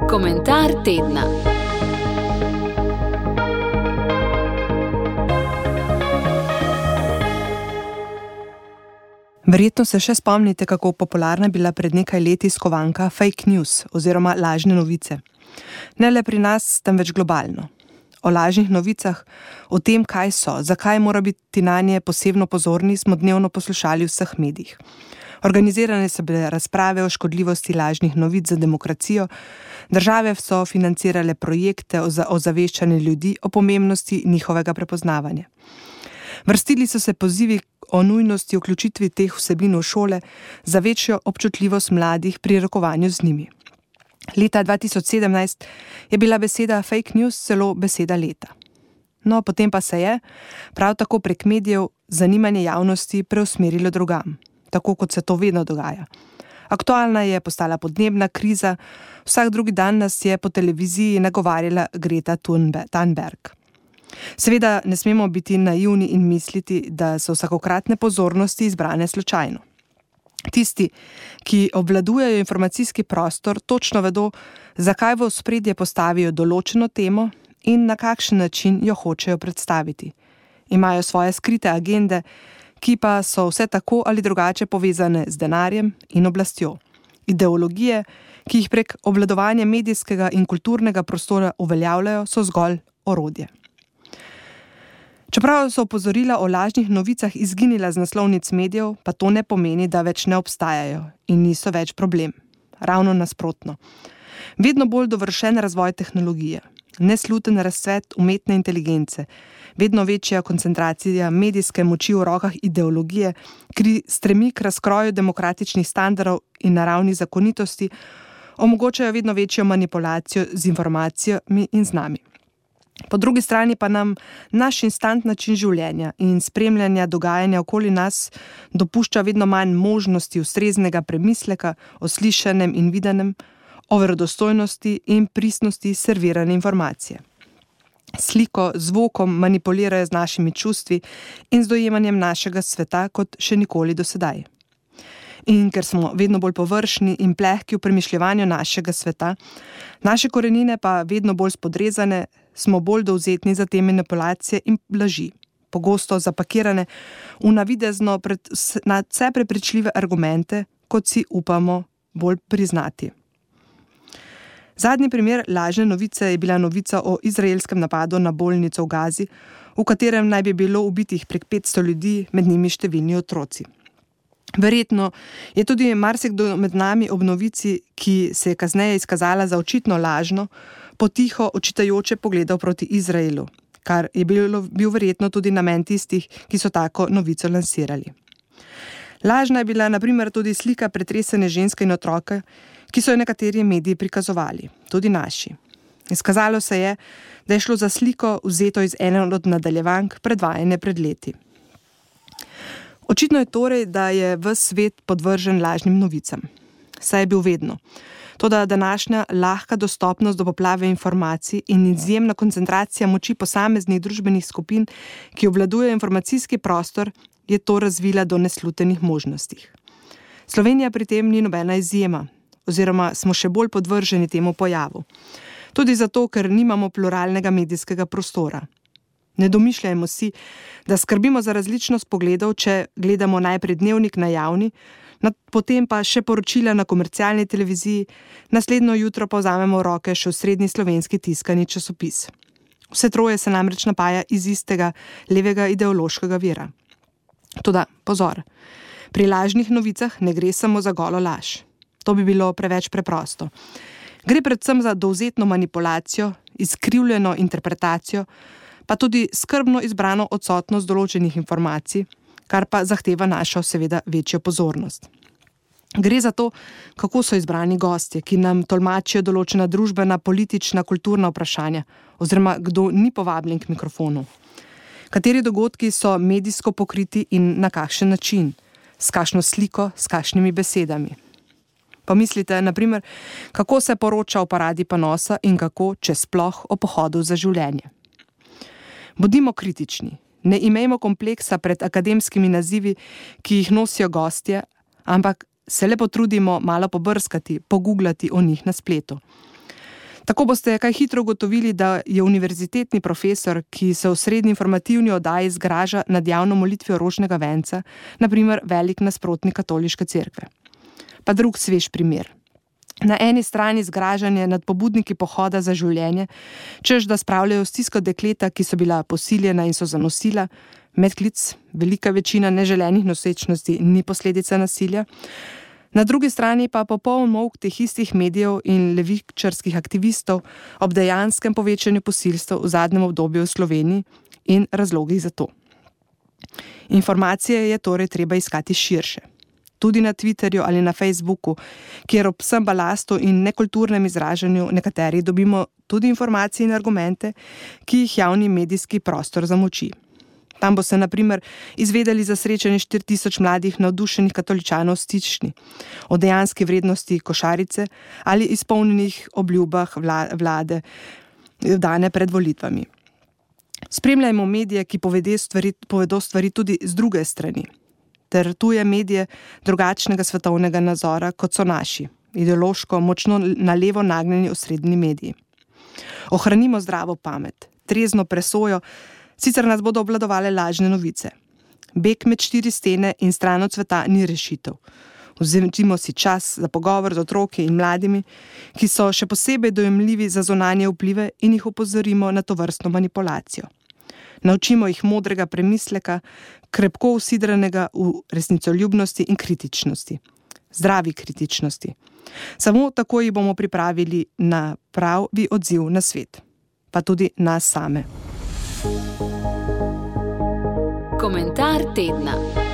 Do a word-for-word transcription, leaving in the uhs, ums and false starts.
Komentar tedna. Verjetno se še spomnite, kako popularna je bila pred nekaj leti skovanka fake news oziroma lažne novice. Ne le pri nas, temveč globalno. O lažnih novicah, o tem, kaj so, zakaj mora biti nanje posebno pozorni, smo dnevno poslušali v vseh medijih. Organizirane so bile razprave o škodljivosti lažnih novic za demokracijo, države so financirale projekte o ozaveščanju ljudi o pomembnosti njihovega prepoznavanja. Vrstili so se pozivi o nujnosti vključitvi teh vsebin v šole za večjo občutljivost mladih pri rokovanju z njimi. Leta dva tisoč sedemnajst je bila beseda fake news celo beseda leta. No, potem pa se je, prav tako prek medijev, zanimanje javnosti preusmerilo drugam, tako kot se to vedno dogaja. Aktualna je postala podnebna kriza, vsak drugi dan nas je po televiziji nagovarjala Greta Thunberg. Seveda ne smemo biti naivni in misliti, da so vsakokratne pozornosti izbrane slučajno. Tisti, ki obvladujejo informacijski prostor, točno vedo, zakaj v ospredje postavijo določeno temo in na kakšen način jo hočejo predstaviti. Imajo svoje skrite agende, ki pa so vse tako ali drugače povezane z denarjem in oblastjo. Ideologije, ki jih prek obvladovanja medijskega in kulturnega prostora uveljavljajo, so zgolj orodje. Čeprav so opozorila o lažnih novicah izginila z naslovnic medijev, pa to ne pomeni, da več ne obstajajo in niso več problem. Ravno nasprotno. Vedno bolj dovršen razvoj tehnologije, nesluten razcvet umetne inteligence, vedno večja koncentracija medijske moči v rokah ideologije, ki stremi k razkroju demokratičnih standardov in naravnih zakonitosti, omogočajo vedno večjo manipulacijo z informacijami in z nami. Po drugi strani pa nam naš instant način življenja in spremljanja dogajanja okoli nas dopušča vedno manj možnosti ustreznega premisleka o slišanem in videnem, o verodostojnosti in pristnosti servirane informacije. Sliko, zvokom manipulirajo z našimi čustvi in z dojemanjem našega sveta kot še nikoli do sedaj. In ker smo vedno bolj površni in plehki v premišljevanju našega sveta, naše korenine pa vedno bolj spodrezane, smo bolj dovzetni za te manipulacije in laži, pogosto zapakirane v navidezno pred, nadvse prepričljive argumente, kot si upamo bolj priznati. Zadnji primer lažne novice je bila novica o izraelskem napadu na bolnico v Gazi, v katerem naj bi bilo ubitih prek petsto ljudi, med njimi številni otroci. Verjetno je tudi marsikdo med nami ob novici, ki se je kasneje izkazala za očitno lažno, potiho očitajoče pogledal proti Izraelu, kar je bil, bil verjetno tudi namen tistih, ki so tako novico lansirali. Lažna je bila na primer tudi slika pretresene ženske in otroka, ki so jo nekateri mediji prikazovali, tudi naši. Izkazalo se je, da je šlo za sliko vzeto iz ene od nadaljevank predvajane pred leti. Očitno je torej, da je ves svet podvržen lažnim novicam. Saj je bil vedno. Toda današnja lahka dostopnost do poplave informacij in izjemna koncentracija moči posameznih družbenih skupin, ki obvladujejo informacijski prostor, je to razvila do neslutenih možnostih. Slovenija pri tem ni nobena izjema, oziroma smo še bolj podvrženi temu pojavu. Tudi zato, ker nimamo pluralnega medijskega prostora. Ne domišljajmo si, da skrbimo za različnost pogledov, če gledamo najprej dnevnik na javni, potem pa še poročila na komercialni televiziji, naslednjo jutro pa vzamemo v roke še osrednji slovenski tiskani časopis. Vse troje se namreč napaja iz istega levega ideološkega vira. Toda, pozor, pri lažnih novicah ne gre samo za golo laž. To bi bilo preveč preprosto. Gre predvsem za dovzetno manipulacijo, izkrivljeno interpretacijo, pa tudi skrbno izbrano odsotnost določenih informacij, kar pa zahteva našo seveda večjo pozornost. Gre za to, kako so izbrani gostje, ki nam tolmačijo določena družbena, politična, kulturna vprašanja, oziroma kdo ni povabljen k mikrofonu. Kateri dogodki so medijsko pokriti in na kakšen način, s kakšno sliko, s kakšnimi besedami. Pomislite, na primer, kako se poroča o paradi ponosa in kako, če sploh, o pohodu za življenje. Bodimo kritični, ne imejmo kompleksa pred akademskimi nazivi, ki jih nosijo gostje, ampak se le potrudimo malo pobrskati, pogooglati o njih na spletu. Tako boste kaj hitro ugotovili, da je univerzitetni profesor, ki se v srednji informativni oddaji zgraža nad javno molitvijo rožnega venca, na primer velik nasprotnik katoliške cerkve. Pa drug svež primer. Na eni strani zgražanje nad pobudniki pohoda za življenje, češ da spravljajo stisko dekleta, ki so bila posiljena in so zanosila, medklic, velika večina neželenih nosečnosti ni posledica nasilja. Na drugi strani pa popoln molk teh istih medijev in levičarskih aktivistov ob dejanskem povečanju posilstev v zadnjem obdobju v Sloveniji in razlogih za to. Informacije je torej treba iskati širše. Tudi na Twitterju ali na Facebooku, kjer ob vsem balastu in nekulturnem izražanju nekateri dobimo tudi informacije in argumente, ki jih javni medijski prostor zamoči. Tam bo se na primer izvedeli za srečanje štiri tisoč mladih navdušenih katoličanov v Stični, o dejanski vrednosti košarice ali izpolnjenih obljubah vlade dane pred volitvami. Spremljajmo medije, ki povedo stvari, povedo stvari tudi z druge strani, ter tuje medije drugačnega svetovnega nazora, kot so naši, ideološko močno na levo nagnjeni osrednji mediji. Ohranimo zdravo pamet, trezno presojo, sicer nas bodo obvladovale lažne novice. Beg med štiri stene in stran od sveta ni rešitev. Vzemimo si čas za pogovor z otroki in mladimi, ki so še posebej dojemljivi za zunanje vplive, in jih opozorimo na tovrstno manipulacijo. Naučimo jih modrega premisleka, krepko usidranega v resnicoljubnosti in kritičnosti. Zdravi kritičnosti. Samo tako jih bomo pripravili na pravi odziv na svet, pa tudi nas same. Komentar tedna.